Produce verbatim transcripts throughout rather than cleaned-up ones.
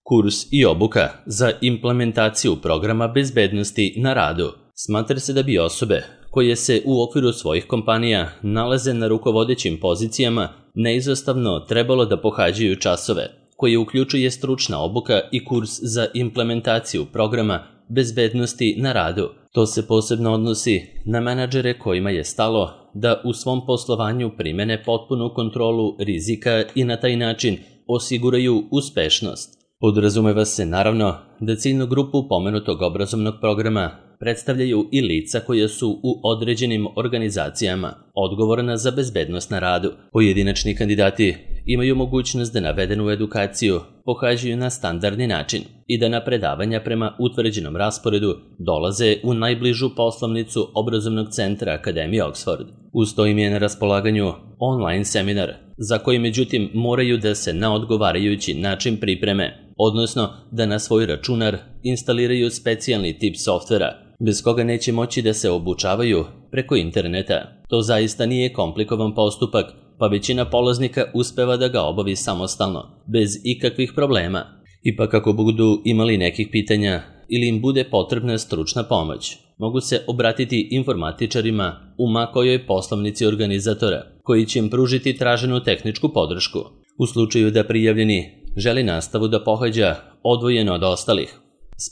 Kurs i obuka za implementaciju programa bezbednosti na radu. Smatra se da bi osobe koje se u okviru svojih kompanija nalaze na rukovodećim pozicijama neizostavno trebalo da pohađaju časove, koje uključuje stručna obuka i kurs za implementaciju programa bezbednosti na radu. To se posebno odnosi na menadžere kojima je stalo da u svom poslovanju primene potpunu kontrolu rizika i na taj način osiguraju uspešnost. Podrazumeva se naravno da ciljnu grupu pomenutog obrazovnog programa predstavljaju i lica koja su u određenim organizacijama odgovorna za bezbednost na radu. Pojedinačni kandidati imaju mogućnost da navedenu edukaciju pohađaju na standardni način i da na predavanja prema utvrđenom rasporedu dolaze u najbližu poslovnicu obrazovnog centra Akademije Oxford. Uz to im je na raspolaganju online seminar, za koji međutim moraju da se na odgovarajući način pripreme, odnosno da na svoj računar instaliraju specijalni tip softvera, bez koga neće moći da se obučavaju preko interneta. To zaista nije komplikovan postupak, pa većina polaznika uspeva da ga obavi samostalno, bez ikakvih problema. Ipak ako budu imali nekih pitanja ili im bude potrebna stručna pomoć, mogu se obratiti informatičarima u ma kojoj poslovnici organizatora, koji će im pružiti traženu tehničku podršku. U slučaju da prijavljeni želi nastavu da pohađa odvojeno od ostalih,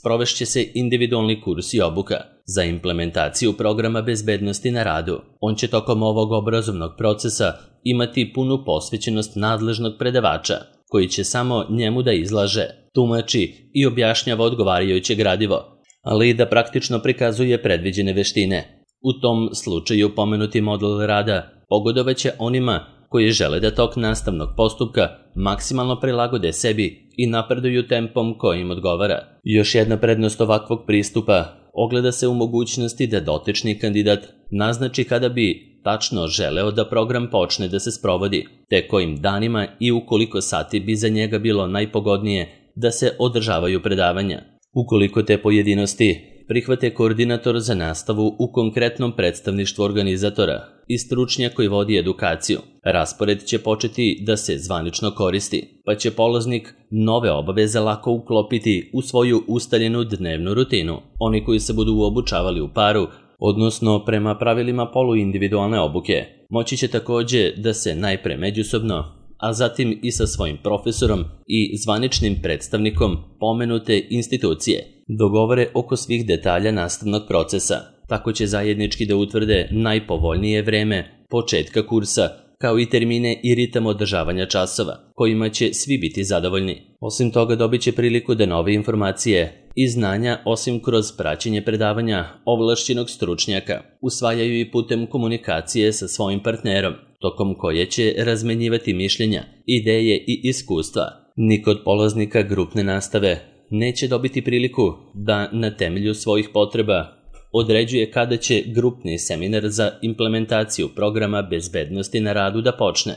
sprovešće se individualni kurs i obuka za implementaciju programa bezbednosti na radu. On će tokom ovog obrazovnog procesa imati punu posvećenost nadležnog predavača, koji će samo njemu da izlaže, tumači i objašnjava odgovarajuće gradivo, ali i da praktično prikazuje predviđene veštine. U tom slučaju pomenuti model rada pogodovaće onima koji žele da tok nastavnog postupka maksimalno prilagode sebi i napreduju tempom koji im odgovara. Još jedna prednost ovakvog pristupa ogleda se u mogućnosti da dotični kandidat naznači kada bi tačno želeo da program počne da se sprovodi, te kojim danima i u koliko sati bi za njega bilo najpogodnije da se održavaju predavanja. Ukoliko te pojedinosti prihvate koordinator za nastavu u konkretnom predstavništvu organizatora i stručnjak koji vodi edukaciju, raspored će početi da se zvanično koristi, pa će polaznik nove obaveze lako uklopiti u svoju ustaljenu dnevnu rutinu. Oni koji se budu obučavali u paru, odnosno prema pravilima poluindividualne obuke, moći će takođe da se najpre međusobno, a zatim i sa svojim profesorom i zvaničnim predstavnikom pomenute institucije dogovore oko svih detalja nastavnog procesa. Tako će zajednički da utvrde najpovoljnije vreme početka kursa, kao i termine i ritam održavanja časova, kojima će svi biti zadovoljni. Osim toga dobit će priliku da nove informacije i znanja, osim kroz praćenje predavanja ovlašćenog stručnjaka, usvajaju i putem komunikacije sa svojim partnerom, tokom koje će razmenjivati mišljenja, ideje i iskustva. Niko od polaznika grupne nastave neće dobiti priliku da na temelju svojih potreba određuje kada će grupni seminar za implementaciju programa bezbednosti na radu da počne,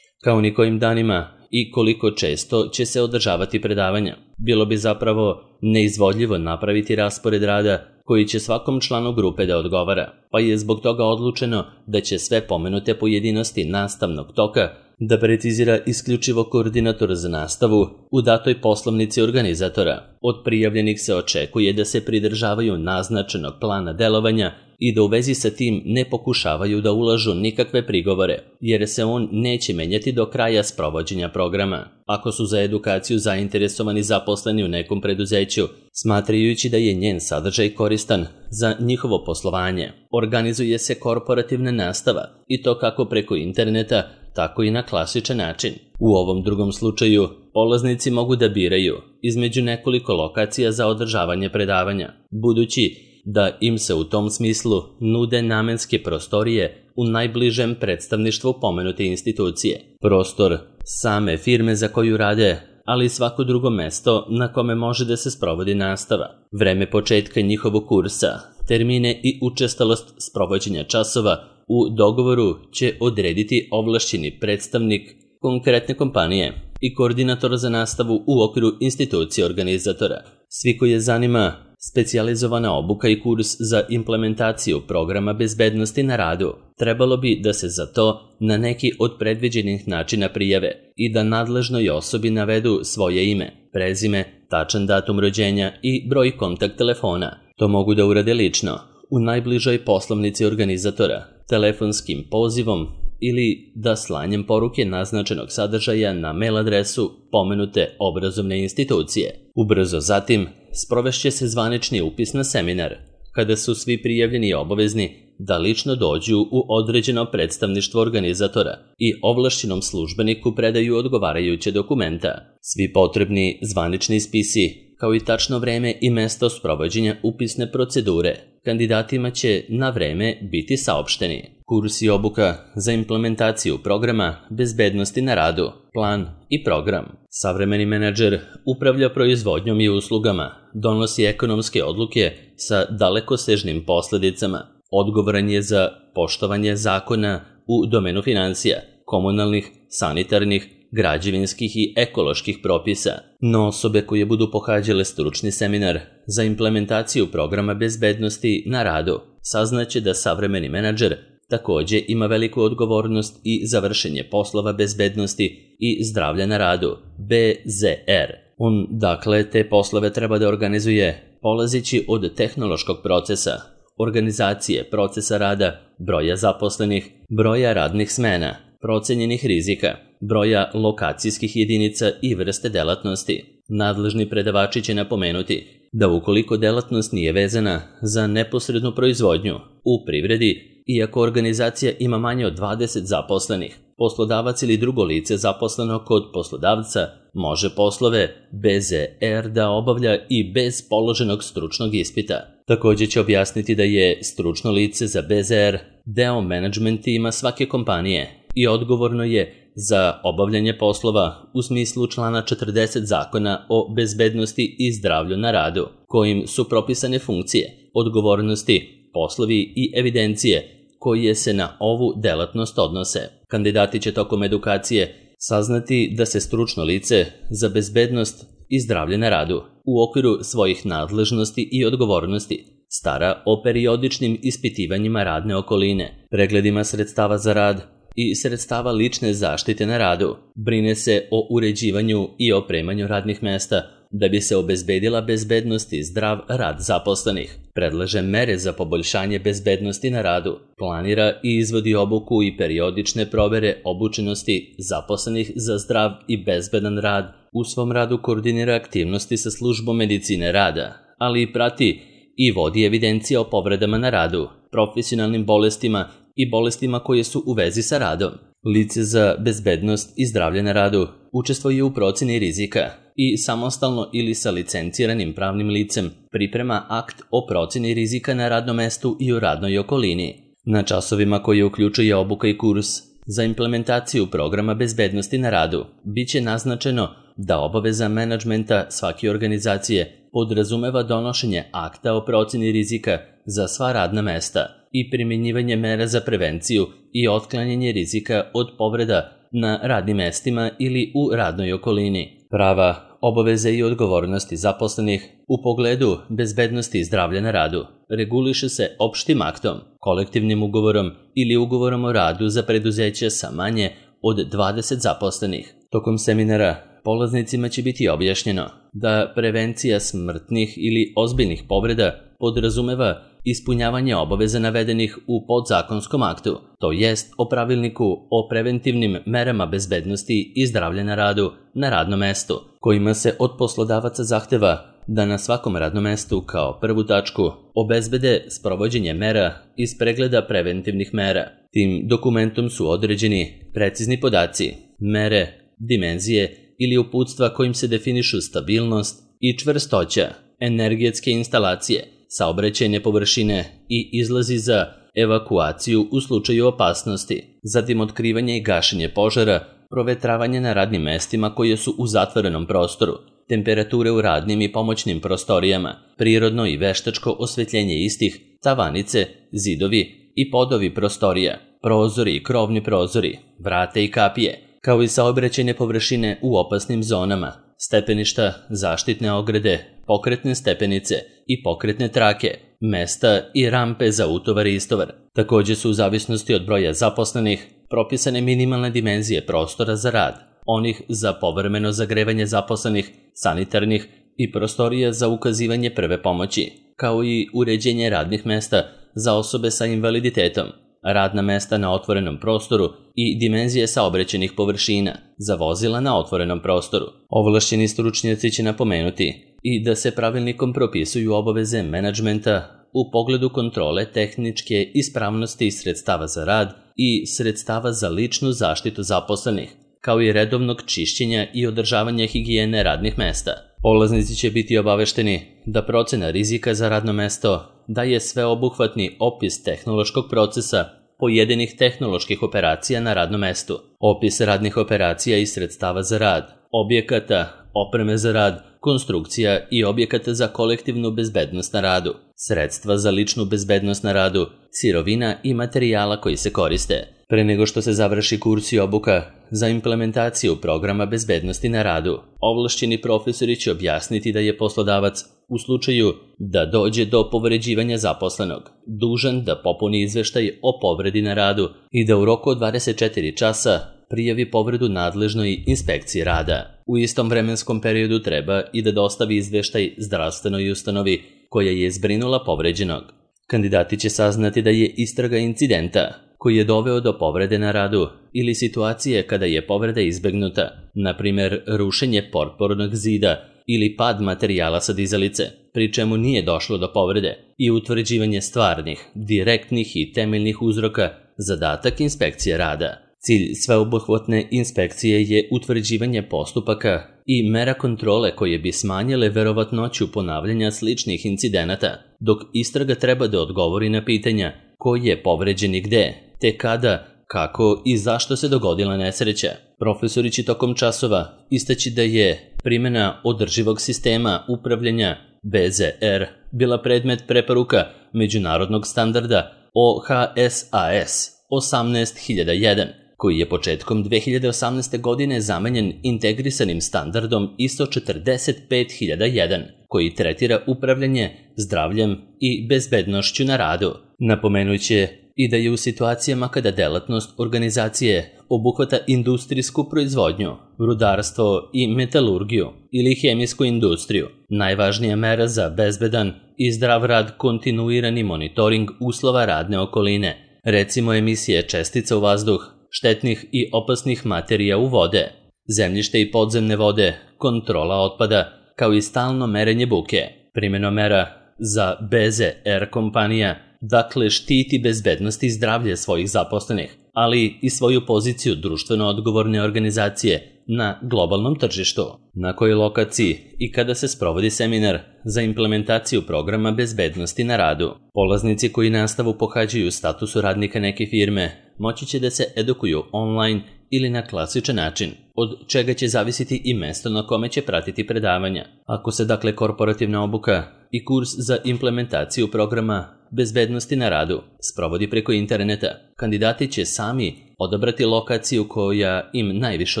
kao ni kojim danima i koliko često će se održavati predavanja. Bilo bi zapravo neizvodljivo napraviti raspored rada koji će svakom članu grupe da odgovara, pa je zbog toga odlučeno da će sve pomenute pojedinosti nastavnog toka da precizira isključivo koordinator za nastavu u datoj poslovnici organizatora. Od prijavljenih se očekuje da se pridržavaju naznačenog plana delovanja i da u vezi sa tim ne pokušavaju da ulažu nikakve prigovore, jer se on neće menjati do kraja sprovođenja programa. Ako su za edukaciju zainteresovani zaposleni u nekom preduzeću, smatrajući da je njen sadržaj koristan za njihovo poslovanje, organizuje se korporativna nastava, i to kako preko interneta, tako i na klasičan način. U ovom drugom slučaju, polaznici mogu da biraju između nekoliko lokacija za održavanje predavanja, budući da im se u tom smislu nude namenske prostorije u najbližem predstavništvu pomenute institucije. Prostor same firme za koju rade, ali i svako drugo mesto na kome može da se sprovodi nastava. Vreme početka njihovog kursa, termine i učestalost sprovođenja časova u dogovoru će odrediti ovlašćeni predstavnik konkretne kompanije i koordinator za nastavu u okviru institucije organizatora. Svi koji je zanima specijalizovana obuka i kurs za implementaciju programa bezbednosti na radu, trebalo bi da se za to na neki od predviđenih načina prijave i da nadležnoj osobi navedu svoje ime, prezime, tačan datum rođenja i broj kontakt telefona. To mogu da urade lično, u najbližoj poslovnici organizatora, telefonskim pozivom ili da slanjem poruke naznačenog sadržaja na mail adresu pomenute obrazovne institucije. Ubrzo zatim sprovešće se zvanični upis na seminar, kada su svi prijavljeni obavezni da lično dođu u određeno predstavništvo organizatora i ovlašćenom službeniku predaju odgovarajuće dokumenta. Svi potrebni zvanični spisi, kao i tačno vreme i mesto sprovođenja upisne procedure, kandidatima će na vreme biti saopšteni. Kurs i obuka za implementaciju programa bezbednosti na radu, plan i program. Savremeni menadžer upravlja proizvodnjom i uslugama, donosi ekonomske odluke sa dalekosežnim posledicama, odgovoran je za poštovanje zakona u domenu financija, komunalnih, sanitarnih, građevinskih i ekoloških propisa. No osobe koje budu pohađale stručni seminar za implementaciju programa bezbednosti na radu saznaće da savremeni menadžer takođe ima veliku odgovornost i za vršenje poslova bezbednosti i zdravlja na radu, B Z R. On, dakle, te poslove treba da organizuje polazići od tehnološkog procesa, organizacije procesa rada, broja zaposlenih, broja radnih smena, procenjenih rizika, broja lokacijskih jedinica i vrste delatnosti. Nadležni predavači će napomenuti da ukoliko delatnost nije vezana za neposrednu proizvodnju u privredi, iako organizacija ima manje od dvadeset zaposlenih, poslodavac ili drugo lice zaposleno kod poslodavca može poslove B Z R da obavlja i bez položenog stručnog ispita. Takođe će objasniti da je stručno lice za B Z R deo menadžment tima svake kompanije i odgovorno je za obavljanje poslova u smislu člana četrdeset Zakona o bezbednosti i zdravlju na radu, kojim su propisane funkcije, odgovornosti, poslovi i evidencije koje se na ovu delatnost odnose. Kandidati će tokom edukacije saznati da se stručno lice za bezbednost i zdravlje na radu u okviru svojih nadležnosti i odgovornosti stara o periodičnim ispitivanjima radne okoline, pregledima sredstava za rad i sredstava lične zaštite na radu, brine se o uređivanju i opremanju radnih mesta da bi se obezbedila bezbednost i zdrav rad zaposlenih, predlaže mere za poboljšanje bezbednosti na radu, planira i izvodi obuku i periodične provere obučenosti zaposlenih za zdrav i bezbedan rad, u svom radu koordinira aktivnosti sa službom medicine rada, ali i prati i vodi evidencije o povredama na radu, profesionalnim bolestima i bolestima koje su u vezi sa radom. Lice za bezbednost i zdravlje na radu učestvuje u proceni rizika i samostalno ili sa licenciranim pravnim licem priprema akt o proceni rizika na radnom mestu i u radnoj okolini. Na časovima koje uključuje obuka i kurs za implementaciju programa bezbednosti na radu biće naznačeno da obaveza menadžmenta svake organizacije podrazumeva donošenje akta o proceni rizika za sva radna mesta i primjenjivanje mera za prevenciju i otklanjanje rizika od povreda na radnim mestima ili u radnoj okolini. Prava, obaveze i odgovornosti zaposlenih u pogledu bezbednosti i zdravlja na radu reguliše se opštim aktom, kolektivnim ugovorom ili ugovorom o radu za preduzeće sa manje od dvadeset zaposlenih. Tokom seminara polaznicima će biti objašnjeno da prevencija smrtnih ili ozbiljnih povreda podrazumeva ispunjavanje obaveza navedenih u podzakonskom aktu, to jest o pravilniku o preventivnim merama bezbednosti i zdravlja na radu na radnom mestu, kojima se od poslodavaca zahteva da na svakom radnom mestu kao prvu tačku obezbede sprovođenje mera iz pregleda preventivnih mera. Tim dokumentom su određeni precizni podaci, mere, dimenzije ili uputstva kojim se definišu stabilnost i čvrstoća, energetske instalacije, saobraćajne površine i izlazi za evakuaciju u slučaju opasnosti, zatim otkrivanje i gašenje požara, provetravanje na radnim mestima koje su u zatvorenom prostoru, temperature u radnim i pomoćnim prostorijama, prirodno i veštačko osvetljenje istih, tavanice, zidovi i podovi prostorija, prozori i krovni prozori, vrate i kapije, kao i saobraćajne površine u opasnim zonama, stepeništa, zaštitne ograde, pokretne stepenice i pokretne trake, mesta i rampe za utovar i istovar. Takođe su u zavisnosti od broja zaposlenih propisane minimalne dimenzije prostora za rad, onih za povremeno zagrevanje zaposlenih sanitarnih i prostorija za ukazivanje prve pomoći, kao i uređenje radnih mesta za osobe sa invaliditetom, radna mesta na otvorenom prostoru i dimenzije saobraćajnih površina za vozila na otvorenom prostoru. Ovlašćeni stručnjaci će napomenuti i da se pravilnikom propisuju obaveze menadžmenta u pogledu kontrole tehničke ispravnosti sredstava za rad i sredstava za ličnu zaštitu zaposlenih, kao i redovnog čišćenja i održavanja higijene radnih mesta. Polaznici će biti obavešteni da procena rizika za radno mesto daje sveobuhvatni opis tehnološkog procesa pojedinih tehnoloških operacija na radnom mestu, opis radnih operacija i sredstava za rad, objekata, opreme za rad, konstrukcija i objekata za kolektivnu bezbednost na radu, sredstva za ličnu bezbednost na radu, sirovina i materijala koji se koriste. Pre nego što se završi kurs i obuka za implementaciju programa bezbednosti na radu, ovlašćeni profesori će objasniti da je poslodavac, u slučaju da dođe do povređivanja zaposlenog, dužan da popuni izveštaj o povredi na radu i da u roku od dvadeset četiri časa prijavi povredu nadležnoj inspekciji rada. U istom vremenskom periodu treba i da dostavi izveštaj zdravstvenoj ustanovi koja je zbrinula povređenog. Kandidati će saznati da je istraga incidenta koji je doveo do povrede na radu ili situacije kada je povreda izbegnuta, na primjer rušenje potpornog zida ili pad materijala sa dizalice, pri čemu nije došlo do povrede, i utvrđivanje stvarnih, direktnih i temeljnih uzroka, zadatak inspekcije rada. Cilj sveobuhvatne inspekcije je utvrđivanje postupaka i mera kontrole koje bi smanjile verovatnoću ponavljanja sličnih incidenata, dok istraga treba da odgovori na pitanja ko je povređen i gde, te kada, kako i zašto se dogodila nesreća. Profesori će tokom časova istaći da je primjena održivog sistema upravljanja B Z R bila predmet preporuka međunarodnog standarda O H S A S osamnaest hiljada jedan, koji je početkom dve hiljade osamnaeste. godine zamenjen integrisanim standardom I S O četrdeset pet hiljada jedan, koji tretira upravljanje zdravljem i bezbednošću na radu. Napomenuće i da je u situacijama kada delatnost organizacije obuhvata industrijsku proizvodnju, rudarstvo i metalurgiju ili hemijsku industriju, najvažnija mera za bezbedan i zdrav rad kontinuirani monitoring uslova radne okoline, recimo emisije čestica u vazduh, štetnih i opasnih materija u vode, zemljište i podzemne vode, kontrola otpada, kao i stalno merenje buke. Primjena mera za B Z R kompanija dakle štiti bezbednost i zdravlje svojih zaposlenih, ali i svoju poziciju društveno odgovorne organizacije na globalnom tržištu. Na kojoj lokaciji i kada se sprovodi seminar za implementaciju programa bezbednosti na radu? Polaznici koji nastavu pohađaju u statusu radnika neke firme moći će da se edukuju online ili na klasičan način, od čega će zavisiti i mesto na kome će pratiti predavanja. Ako se dakle korporativna obuka i kurs za implementaciju programa bezbednosti na radu sprovodi preko interneta, kandidati će sami odabrati lokaciju koja im najviše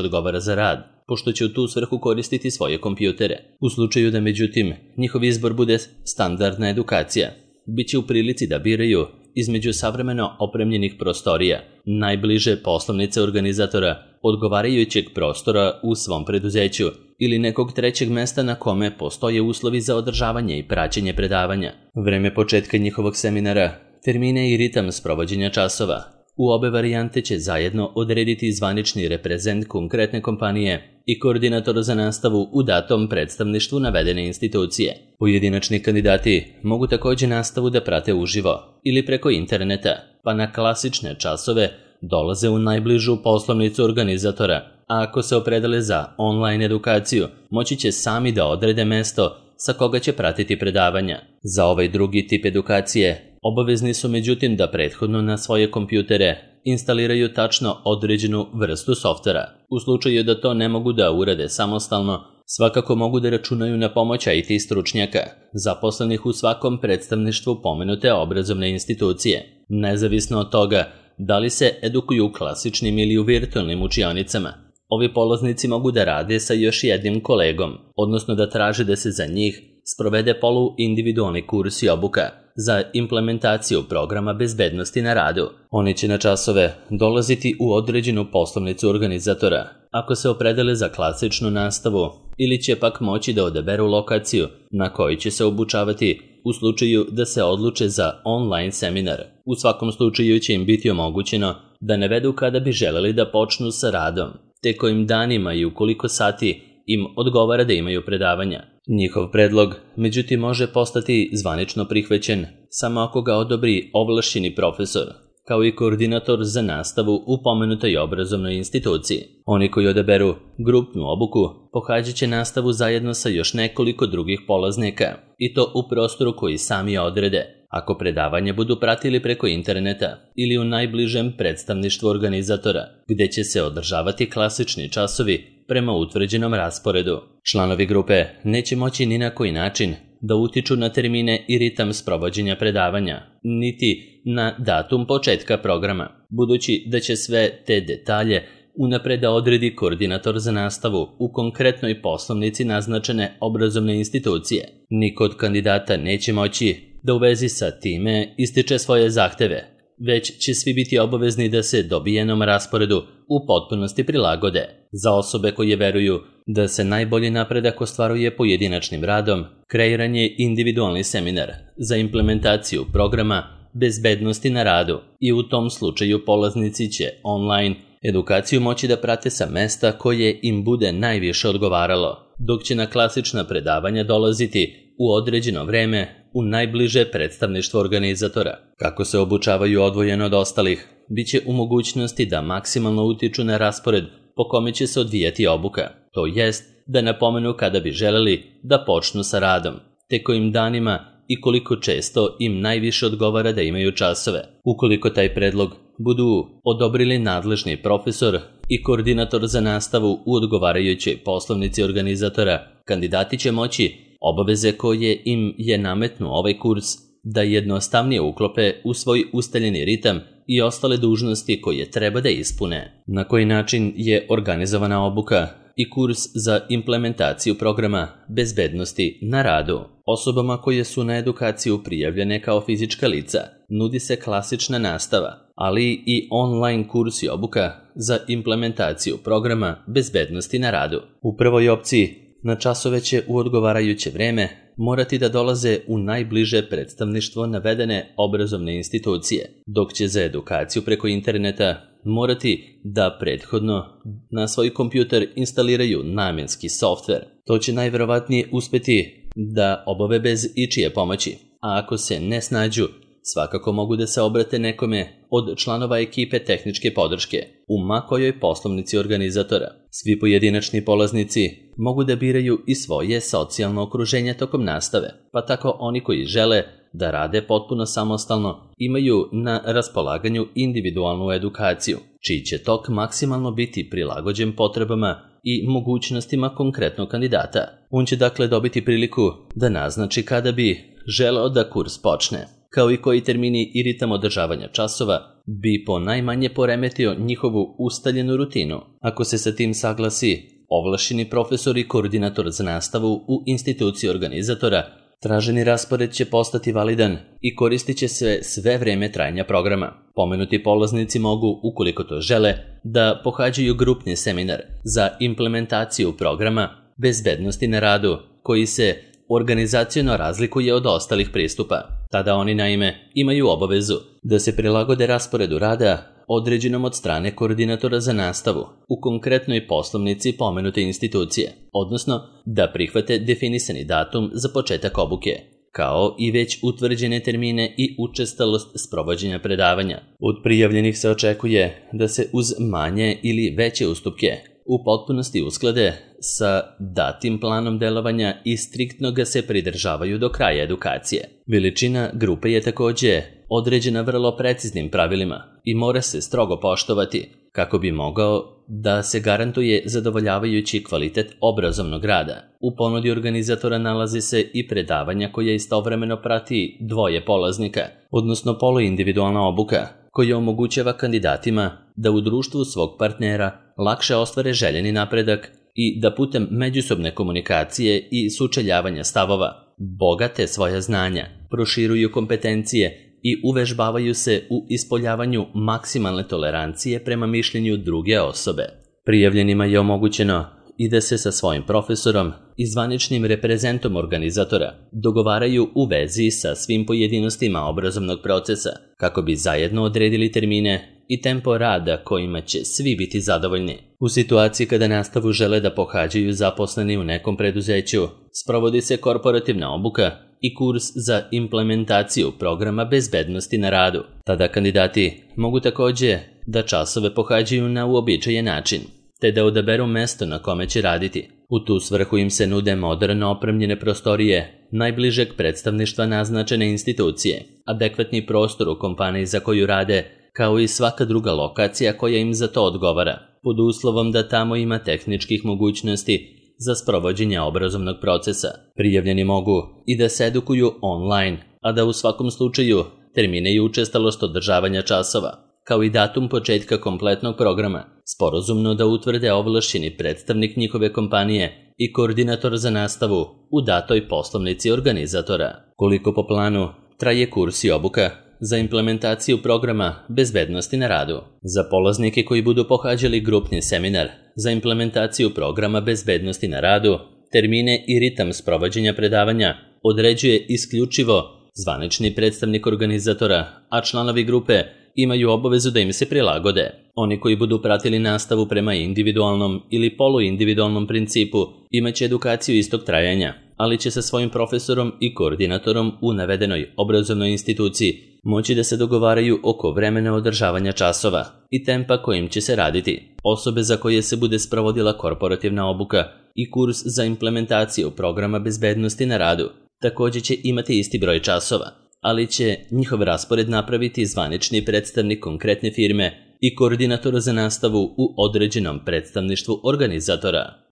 odgovara za rad, pošto će u tu svrhu koristiti svoje kompjutere. U slučaju da međutim njihov izbor bude standardna edukacija, bit će u prilici da biraju između savremeno opremljenih prostorija, najbliže poslovnice organizatora, odgovarajućeg prostora u svom preduzeću ili nekog trećeg mesta na kome postoje uslovi za održavanje i praćenje predavanja, vreme početka njihovog seminara, termine i ritam sprovođenja časova. U obe varijante će zajedno odrediti zvanični reprezent konkretne kompanije i koordinator za nastavu u datom predstavništvu navedene institucije. Pojedinačni kandidati mogu također nastavu da prate uživo ili preko interneta, pa na klasične časove dolaze u najbližu poslovnicu organizatora, a ako se opredele za online edukaciju, moći će sami da odrede mesto sa koga će pratiti predavanja. Za ovaj drugi tip edukacije obavezni su međutim da prethodno na svoje kompjutere instaliraju tačno određenu vrstu softvera. U slučaju da to ne mogu da urade samostalno, svakako mogu da računaju na pomoć I T stručnjaka, zaposlenih u svakom predstavništvu pomenute obrazovne institucije. Nezavisno od toga da li se edukuju u klasičnim ili u virtualnim učionicama, ovi polaznici mogu da rade sa još jednim kolegom, odnosno da traže da se za njih sprovede poluindividualni kurs i obuka za implementaciju programa bezbednosti na radu. Oni će na časove dolaziti u određenu poslovnicu organizatora. Ako se opredele za klasičnu nastavu, ili će pak moći da odaberu lokaciju na kojoj će se obučavati u slučaju da se odluče za online seminar. U svakom slučaju će im biti omogućeno da navedu kada bi želeli da počnu sa radom, te kojim danima i u koliko sati im odgovara da imaju predavanja. Njihov predlog, međutim, može postati zvanično prihvaćen samo ako ga odobri ovlašćeni profesor, kao i koordinator za nastavu u pomenutoj obrazovnoj instituciji. Oni koji odaberu grupnu obuku pohađat će nastavu zajedno sa još nekoliko drugih polaznika, i to u prostoru koji sami odrede, ako predavanje budu pratili preko interneta ili u najbližem predstavništvu organizatora, gde će se održavati klasični časovi prema utvrđenom rasporedu. Članovi grupe neće moći ni na koji način da utiču na termine i ritam sprovođenja predavanja, niti na datum početka programa, budući da će sve te detalje unapred da odredi koordinator za nastavu u konkretnoj poslovnici naznačene obrazovne institucije. Niko od kandidata neće moći da u vezi sa time ističe svoje zahteve, već će svi biti obavezni da se dobijenom rasporedu u potpunosti prilagode. Za osobe koje veruju da se najbolji napredak ostvaruje pojedinačnim radom, kreiran je individualni seminar za implementaciju programa bezbednosti na radu, i u tom slučaju polaznici će online edukaciju moći da prate sa mesta koje im bude najviše odgovaralo, dok će na klasična predavanja dolaziti u određeno vreme u najbliže predstavništvo organizatora. Kako se obučavaju odvojeno od ostalih, bit će u mogućnosti da maksimalno utiču na raspored po kome će se odvijati obuka, to jest da napomenu kada bi želeli da počnu sa radom, te kojim danima i koliko često im najviše odgovara da imaju časove. Ukoliko taj predlog budu odobrili nadležni profesor i koordinator za nastavu u odgovarajućoj poslovnici organizatora, kandidati će moći obaveze koje im je nametnuo ovaj kurs da jednostavnije uklope u svoj ustaljeni ritam i ostale dužnosti koje treba da ispune. Na koji način je organizovana obuka i kurs za implementaciju programa bezbednosti na radu? Osobama koje su na edukaciju prijavljene kao fizička lica nudi se klasična nastava, ali i online kurs i obuka za implementaciju programa bezbednosti na radu. U prvoj opciji na časove će u odgovarajuće vreme morati da dolaze u najbliže predstavništvo navedene obrazovne institucije, dok će za edukaciju preko interneta morati da prethodno na svoj kompjuter instaliraju namenski softver. To će najverovatnije uspeti da obave bez ičije pomoći, a ako se ne snađu, svakako mogu da se obrate nekome od članova ekipe tehničke podrške u ma kojoj poslovnici organizatora. Svi pojedinačni polaznici mogu da biraju i svoje socijalno okruženje tokom nastave, pa tako oni koji žele da rade potpuno samostalno imaju na raspolaganju individualnu edukaciju, čiji će tok maksimalno biti prilagođen potrebama i mogućnostima konkretnog kandidata. On će dakle dobiti priliku da naznači kada bi želeo da kurs počne, kao i koji termini i ritam održavanja časova bi po najmanje poremetio njihovu ustaljenu rutinu. Ako se sa tim saglasi ovlašćeni profesor i koordinator za nastavu u instituciji organizatora, traženi raspored će postati validan i koristit će se sve vreme trajanja programa. Pomenuti polaznici mogu, ukoliko to žele, da pohađaju grupni seminar za implementaciju programa bezbednosti na radu, koji se organizaciono razlikuje od ostalih pristupa. Tada oni naime imaju obavezu da se prilagode rasporedu rada određenom od strane koordinatora za nastavu u konkretnoj poslovnici pomenute institucije, odnosno da prihvate definisani datum za početak obuke, kao i već utvrđene termine i učestalost sprovođenja predavanja. Od prijavljenih se očekuje da se uz manje ili veće ustupke u potpunosti usklade sa datim planom delovanja i striktno ga se pridržavaju do kraja edukacije. Veličina grupe je takođe određena vrlo preciznim pravilima i mora se strogo poštovati kako bi mogao da se garantuje zadovoljavajući kvalitet obrazovnog rada. U ponudi organizatora nalazi se i predavanja koja istovremeno prati dvoje polaznika, odnosno poluindividualna obuka, koja omogućava kandidatima da u društvu svog partnera lakše ostvare željeni napredak i da putem međusobne komunikacije i sučeljavanja stavova bogate svoja znanja, proširuju kompetencije i uvežbavaju se u ispoljavanju maksimalne tolerancije prema mišljenju druge osobe. Prijavljenima je omogućeno i da se sa svojim profesorom i zvaničnim reprezentom organizatora dogovaraju u vezi sa svim pojedinostima obrazovnog procesa kako bi zajedno odredili termine i tempo rada kojima će svi biti zadovoljni. U situaciji kada nastavu žele da pohađaju zaposleni u nekom preduzeću, sprovodi se korporativna obuka i kurs za implementaciju programa bezbednosti na radu. Tada kandidati mogu takođe da časove pohađaju na uobičajen način, te da odaberu mesto na kome će raditi. U tu svrhu im se nude moderno opremljene prostorije najbližeg predstavništva naznačene institucije, adekvatni prostor u kompaniji za koju rade, kao i svaka druga lokacija koja im za to odgovara, pod uslovom da tamo ima tehničkih mogućnosti za sprovođenje obrazovnog procesa. Prijavljeni mogu i da se edukuju online, a da u svakom slučaju termine i učestalost održavanja časova, kao i datum početka kompletnog programa, sporazumno da utvrde ovlašćeni predstavnik njihove kompanije i koordinator za nastavu u datoj poslovnici organizatora. Koliko po planu traje kurs i obuka za implementaciju programa bezbednosti na radu? Za polaznike koji budu pohađali grupni seminar za implementaciju programa bezbednosti na radu, termine i ritam sprovođenja predavanja određuje isključivo zvanični predstavnik organizatora, a članovi grupe imaju obavezu da im se prilagode. Oni koji budu pratili nastavu prema individualnom ili poluindividualnom principu imaće edukaciju istog trajanja, ali će sa svojim profesorom i koordinatorom u navedenoj obrazovnoj instituciji moći da se dogovaraju oko vremena održavanja časova i tempa kojim će se raditi. Osobe za koje se bude sprovodila korporativna obuka i kurs za implementaciju programa bezbednosti na radu također će imati isti broj časova, ali će njihov raspored napraviti zvanični predstavnik konkretne firme i koordinator za nastavu u određenom predstavništvu organizatora.